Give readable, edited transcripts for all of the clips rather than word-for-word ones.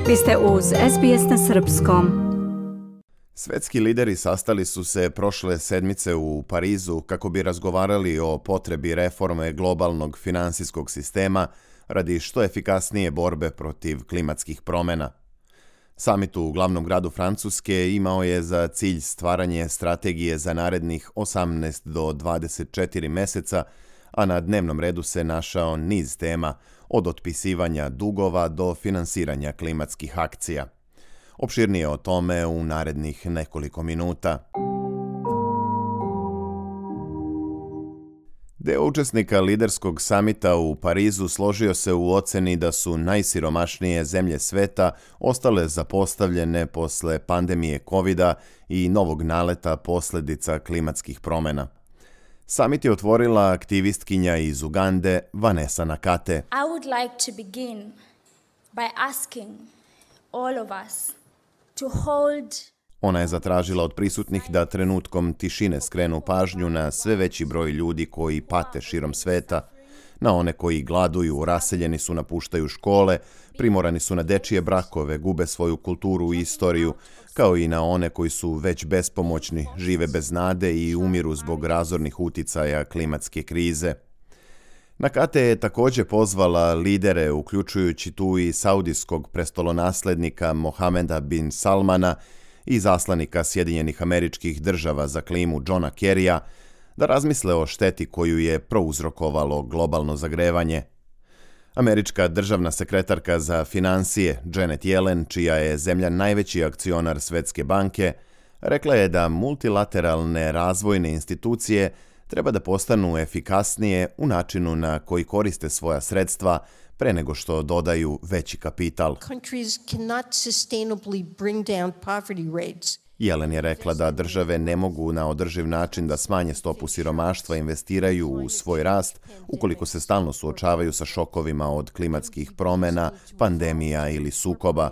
Vi ste uz SBS na srpskom. Svetski lideri sastali su se prošle sedmice u Parizu kako bi razgovarali o potrebi reforme globalnog finansijskog sistema radi što efikasnije borbe protiv klimatskih promjena. Samit u glavnom gradu Francuske imao je za cilj stvaranje strategije za narednih 18 do 24 meseca, a na dnevnom redu se našao niz tema, od otpisivanja dugova do finansiranja klimatskih akcija. Opširnije o tome u narednih nekoliko minuta. Deo učesnika liderskog samita u Parizu složio se u oceni da su najsiromašnije zemlje sveta ostale zapostavljene posle pandemije COVID-a i novog naleta posljedica klimatskih promjena. Samit je otvorila aktivistkinja iz Ugande, Vanessa Nakate. I would like to begin by asking all of us to hold. Ona je zatražila od prisutnih da trenutkom tišine skrenu pažnju na sve veći broj ljudi koji pate širom sveta, na one koji gladuju, raseljeni su, napuštaju škole, primorani su na dečije brakove, gube svoju kulturu i istoriju, kao i na one koji su već bespomoćni, žive bez nade i umiru zbog razornih uticaja klimatske krize. Nakate je također pozvala lidere, uključujući tu i saudijskog prestolonaslednika Mohameda bin Salmana i zaslanika Sjedinjenih Američkih Država za klimu Johna Kerrya, da razmisle o šteti koju je prouzrokovalo globalno zagrevanje. Američka državna sekretarka za financije Janet Yellen, čija je zemlja najveći akcionar Svjetske banke, rekla je da multilateralne razvojne institucije treba da postanu efikasnije u načinu na koji koriste svoja sredstva pre nego što dodaju veći kapital. Yellen je rekla da države ne mogu na održiv način da smanje stopu siromaštva i investiraju u svoj rast ukoliko se stalno suočavaju sa šokovima od klimatskih promjena, pandemija ili sukoba.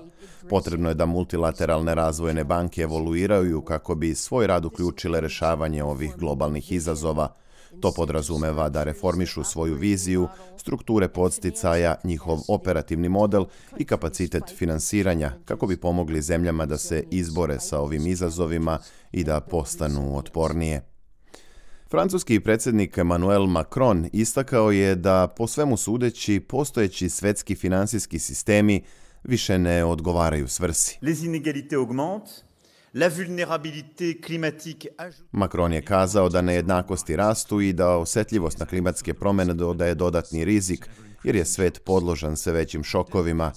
Potrebno je da multilateralne razvojne banke evoluiraju kako bi svoj rad uključile rešavanje ovih globalnih izazova. To podrazumeva da reformišu svoju viziju, strukture podsticaja, njihov operativni model i kapacitet finansiranja kako bi pomogli zemljama da se izbore sa ovim izazovima i da postanu otpornije. Francuski predsjednik Emmanuel Macron istakao je da po svemu sudeći postojeći svetski finansijski sistemi više ne odgovaraju svrsi. Les inégalités augmentent. La vulnérabilité climatique. Macron je kazao da nejednakosti rastu i da osjetljivost na klimatske promjene dodaje dodatni rizik, jer je svet podložan sve većim šokovima.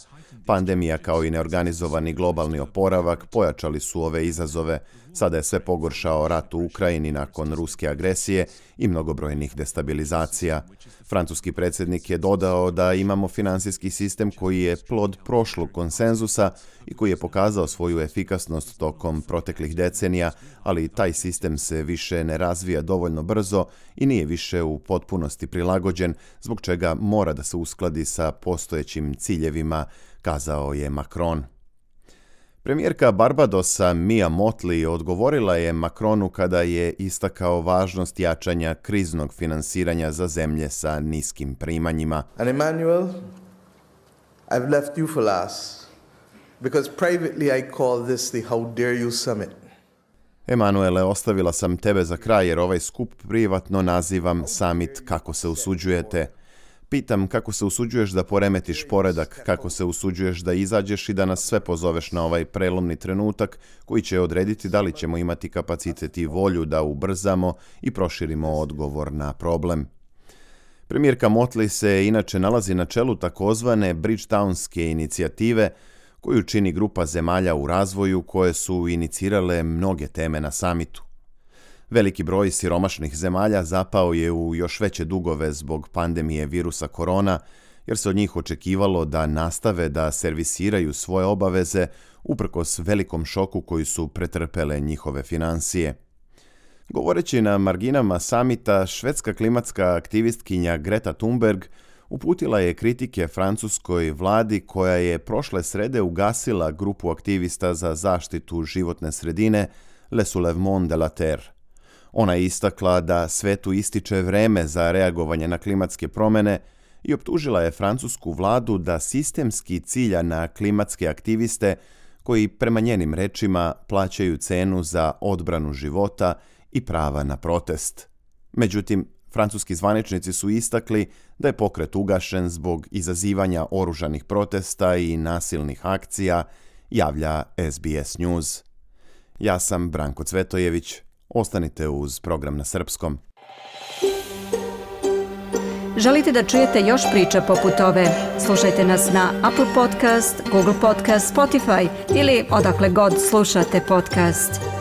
Pandemija kao i neorganizovani globalni oporavak pojačali su ove izazove. Sada je sve pogoršao rat u Ukrajini nakon ruske agresije i mnogobrojnih destabilizacija. Francuski predsjednik je dodao da imamo finansijski sistem koji je plod prošlog konsenzusa i koji je pokazao svoju efikasnost tokom proteklih decenija, ali taj sistem se više ne razvija dovoljno brzo i nije više u potpunosti prilagođen, zbog čega mora da se uskladi sa postojećim ciljevima, kazao je Macron. Premijerka Barbadosa Mia Mottley odgovorila je Macronu kada je istakao važnost jačanja kriznog finansiranja za zemlje sa niskim primanjima. And Emmanuel, I've left you for last, because privately I call this the How Dare You Summit. Emanuele, ostavila sam tebe za kraj jer ovaj skup privatno nazivam Summit kako se usuđujete. Pitam kako se usuđuješ da poremetiš poredak, kako se usuđuješ da izađeš i da nas sve pozoveš na ovaj prelomni trenutak koji će odrediti da li ćemo imati kapacitet i volju da ubrzamo i proširimo odgovor na problem. Premijerka Mottley se inače nalazi na čelu takozvane Bridgetownske inicijative, koju čini grupa zemalja u razvoju koje su inicirale mnoge teme na samitu. Veliki broj siromašnih zemalja zapao je u još veće dugove zbog pandemije virusa korona, jer se od njih očekivalo da nastave da servisiraju svoje obaveze uprkos velikom šoku koji su pretrpele njihove finansije. Govoreći na marginama samita, švedska klimatska aktivistkinja Greta Thunberg uputila je kritike francuskoj vladi koja je prošle srede ugasila grupu aktivista za zaštitu životne sredine Le Soulèvement de la Terre. Ona je istakla da svetu ističe vreme za reagovanje na klimatske promjene i optužila je francusku vladu da sistemski cilja na klimatske aktiviste koji prema njenim rečima plaćaju cenu za odbranu života i prava na protest. Međutim, francuski zvaničnici su istakli da je pokret ugašen zbog izazivanja oružanih protesta i nasilnih akcija, javlja SBS News. Ja sam Branko Cvetojević. Ostanite uz program na srpskom. Želite da čujete još priča poput ove? Slušajte nas na Apple Podcast, Google Podcast, Spotify ili odakle god slušate podcast.